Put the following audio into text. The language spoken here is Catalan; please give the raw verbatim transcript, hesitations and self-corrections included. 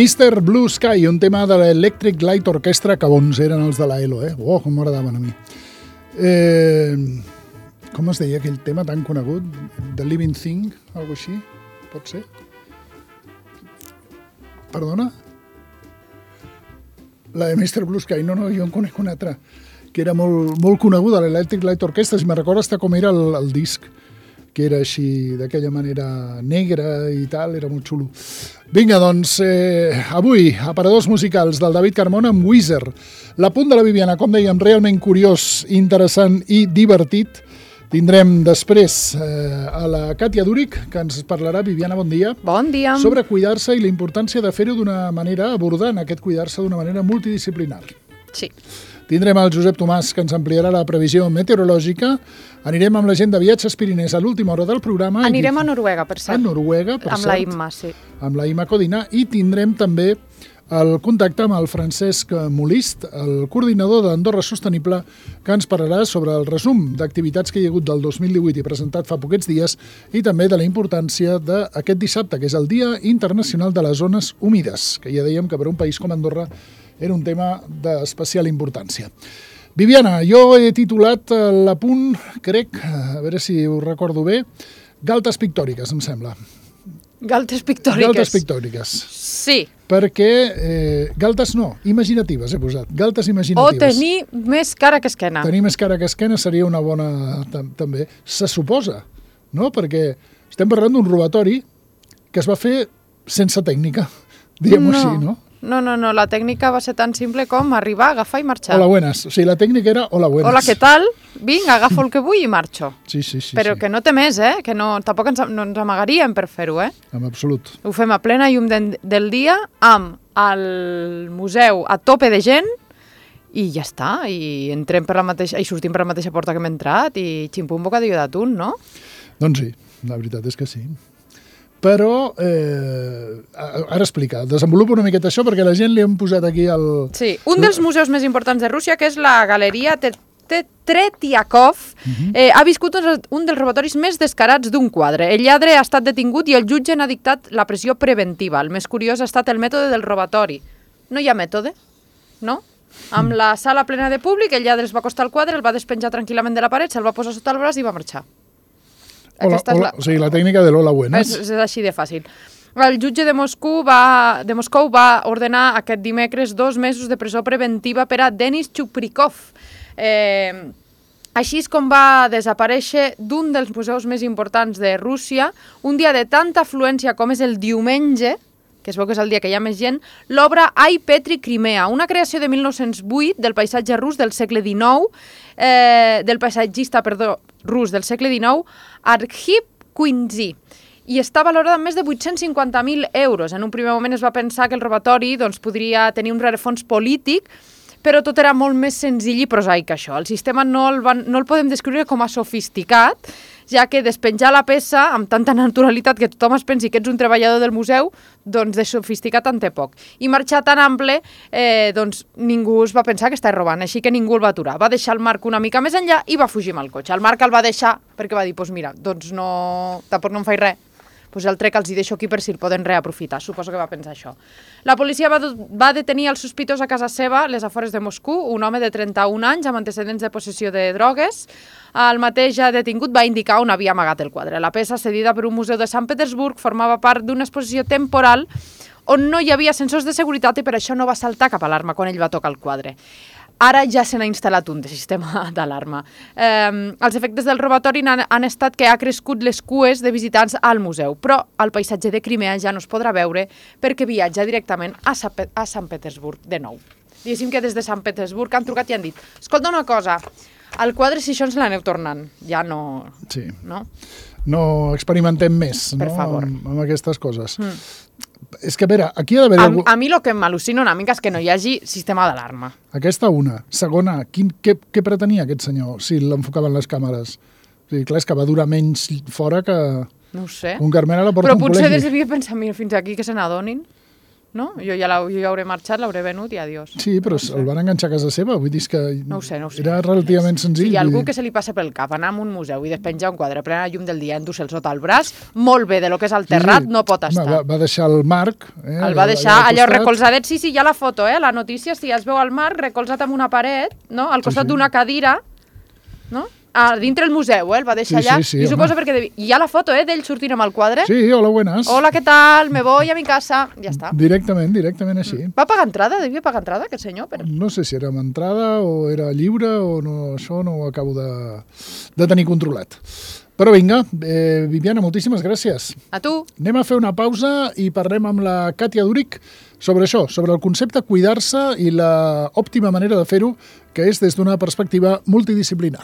mister Blue Sky, un tema de l'Electric Light Orchestra, que bons eren els de la E L O, eh? Oh, com m'agradaven a mi. Eh, com es deia aquell tema tan conegut? The Living Thing, algo així? Pot ser? Perdona? La de mister Blue Sky, no, no, jo en conec una altra, que era molt, molt coneguda, l'Electric Light Orchestra, si me'n recordo hasta com era el, el disc, que era així, d'aquella manera negra i tal, era molt xulo. Vinga, doncs, eh, avui, aparadors musicals del David Carmona amb Weezer. L'apunt de la Viviana, com dèiem, realment curiós, interessant i divertit. Tindrem després eh, a la Càtia Dúric, que ens parlarà, Viviana, bon dia. Bon dia. Sobre cuidar-se i la importància de fer-ho d'una manera, abordant aquest cuidar-se d'una manera multidisciplinar. Sí. Tindrem el Josep Tomàs, que ens ampliarà la previsió meteorològica. Anirem amb la gent de Viatges Pirinès a l'última hora del programa. Anirem a Noruega, per cert. A Noruega, per amb cert. Amb la Imma, sí. Amb la Imma Codina. I tindrem també el contacte amb el Francesc Molist, el coordinador d'Andorra Sostenible, que ens parlarà sobre el resum d'activitats que hi ha hagut del dos mil divuit i presentat fa poquets dies, i també de la importància d'aquest dissabte, que és el Dia Internacional de les Zones Humides, que ja dèiem que per un país com Andorra era un tema d'especial importància. Viviana, jo he titulat l'apunt, crec, a veure si ho recordo bé, Galtes pictòriques, em sembla. Galtes pictòriques. Galtes pictòriques. Sí. Perquè, eh, galtes no, imaginatives he posat, galtes imaginatives. O tenir més cara que esquena. Tenir més cara que esquena seria una bona, també. Se suposa, no? Perquè estem parlant d'un robatori que es va fer sense tècnica, diguem-ho així, no? No, no, no, la tècnica va ser tan simple com arribar, agafar i marxar. Hola, buenas. O sigui, la tècnica era hola, buenas. Hola, què tal? Vinc, agafo el que vull i marxo. Sí, sí, sí. Però sí. que no té més, eh? Que no, tampoc ens, no ens amagaríem per fer-ho, eh? En absolut. Ho fem a plena llum de, del dia, amb el museu a tope de gent, i ja està, i entrem per la mateixa, i sortim per la mateixa porta que hem entrat, i ximpum bocadillo d'atún, no? Doncs sí, la veritat és que sí. Però, eh, ara explica, desenvolupa una miqueta això, perquè la gent li hem posat aquí el... Sí, un dels museus més importants de Rússia, que és la Galeria Tretiakov, uh-huh. eh, ha viscut un dels robatoris més descarats d'un quadre. El lladre ha estat detingut i el jutge n'ha dictat la pressió preventiva. El més curiós ha estat el mètode del robatori. No hi ha mètode, no? Amb la sala plena de públic, el lladre es va acostar al quadre, el va despenjar tranquil·lament de la paret, se'l va posar sota el braç i va marxar. Hola, hola, la... O sigui, la tècnica de l'hola buenas. És, és així de fàcil. El jutge de Moscou, va, de Moscou va ordenar aquest dimecres dos mesos de presó preventiva per a Denis Chuprikov. Eh, així és com va desaparèixer d'un dels museus més importants de Rússia, un dia de tanta afluència com és el diumenge, que es veu que és el dia que hi ha més gent, l'obra Ai Petri Crimea, una creació de mil nou-cents vuit del paisatge rus del segle dinou, eh, del paisatgista, perdó, rus del segle dinou, Arkhip Kuinzi, i està valorada amb més de vuit-cents cinquanta mil euros. En un primer moment es va pensar que el robatori doncs, podria tenir un rerefons polític, però tot era molt més senzill i prosaic que això. El sistema no el, van, no el podem descriure com a sofisticat, ja que despenjar la peça amb tanta naturalitat que tothom es pensi que ets un treballador del museu, doncs de sofisticat en té poc. I marxar tan ample, eh, doncs ningú es va pensar que estava robant, així que ningú el va aturar. Va deixar el Marc una mica més enllà i va fugir amb el cotxe. El Marc el va deixar perquè va dir, doncs mira, doncs no, tampoc no em faig res. Pues el trec els hi deixo aquí per si el poden reaprofitar. Suposo que va pensar això. La policia va, va detenir el sospitós a casa seva, les afores de Moscou, un home de trenta-un anys amb antecedents de possessió de drogues. El mateix detingut va indicar on havia amagat el quadre. La peça, cedida per un museu de Sant Petersburg, formava part d'una exposició temporal on no hi havia sensors de seguretat i per això no va saltar cap alarma quan ell va tocar el quadre. Ara ja se n'ha instal·lat un de sistema d'alarma. Eh, els efectes del robatori han, han estat que ha crescut les cues de visitants al museu, però el paisatge de Crimea ja no es podrà veure perquè viatja directament a, Sa a Sant Petersburg de nou. Diguéssim que des de Sant Petersburg han trucat i han dit, escolta una cosa, el quadre si això ens l'aneu tornant, ja no... Sí. No? No experimentem més, per no? favor. Amb, amb aquestes coses. Mm. És que, a veure, aquí ha d'haver... A, algú... a mi el que m'al·lucina una mica és que no hi hagi sistema d'alarma. Aquesta una. Segona, quin, què, què pretenia aquest senyor si l'enfocaven les càmeres? O sigui, clar, és que va durar menys fora que... No ho sé. Un Carmel a la porta Però d'un potser col·legi. devia pensar, mira, fins aquí que se n'adonin, no? Jo ja, la, jo ja hauré marxat, l'hauré venut i adiós. Sí, però no el van enganxar a casa seva, vull dir que no ho sé, no ho sé. era relativament senzill. Si hi ha algú dir... que se li passa pel cap anar a un museu i despenjar un quadre plena llum del dia endur-se'l sota el braç, molt bé, de lo que és el terrat, sí, sí. no pot estar. Home, va, va deixar el Marc... Eh, el va deixar allà, allò recolzadet, sí, sí, hi ha la foto, eh, la notícia, si es veu el Marc recolzat amb una paret, no?, al costat sí, sí. d'una cadira, no?, a dintre el museu, eh? El va deixar sí, allà. Sí, sí, I suposo perquè... Devi... Hi ha la foto, eh? D'ell sortint amb el quadre. Sí, hola, buenas. Hola, què tal? Me voy a mi casa. Ja està. Directament, directament així. Mm. Va pagar entrada? Devia pagar entrada, aquest senyor? Però... No sé si era amb entrada o era lliure o no, això no ho acabo de, de tenir controlat. Però vinga, eh, Viviana, moltíssimes gràcies. A tu. Anem a fer una pausa i parlem amb la Càtia Duric sobre això, sobre el concepte cuidar-se i la òptima manera de fer-ho, que és des d'una perspectiva multidisciplinar.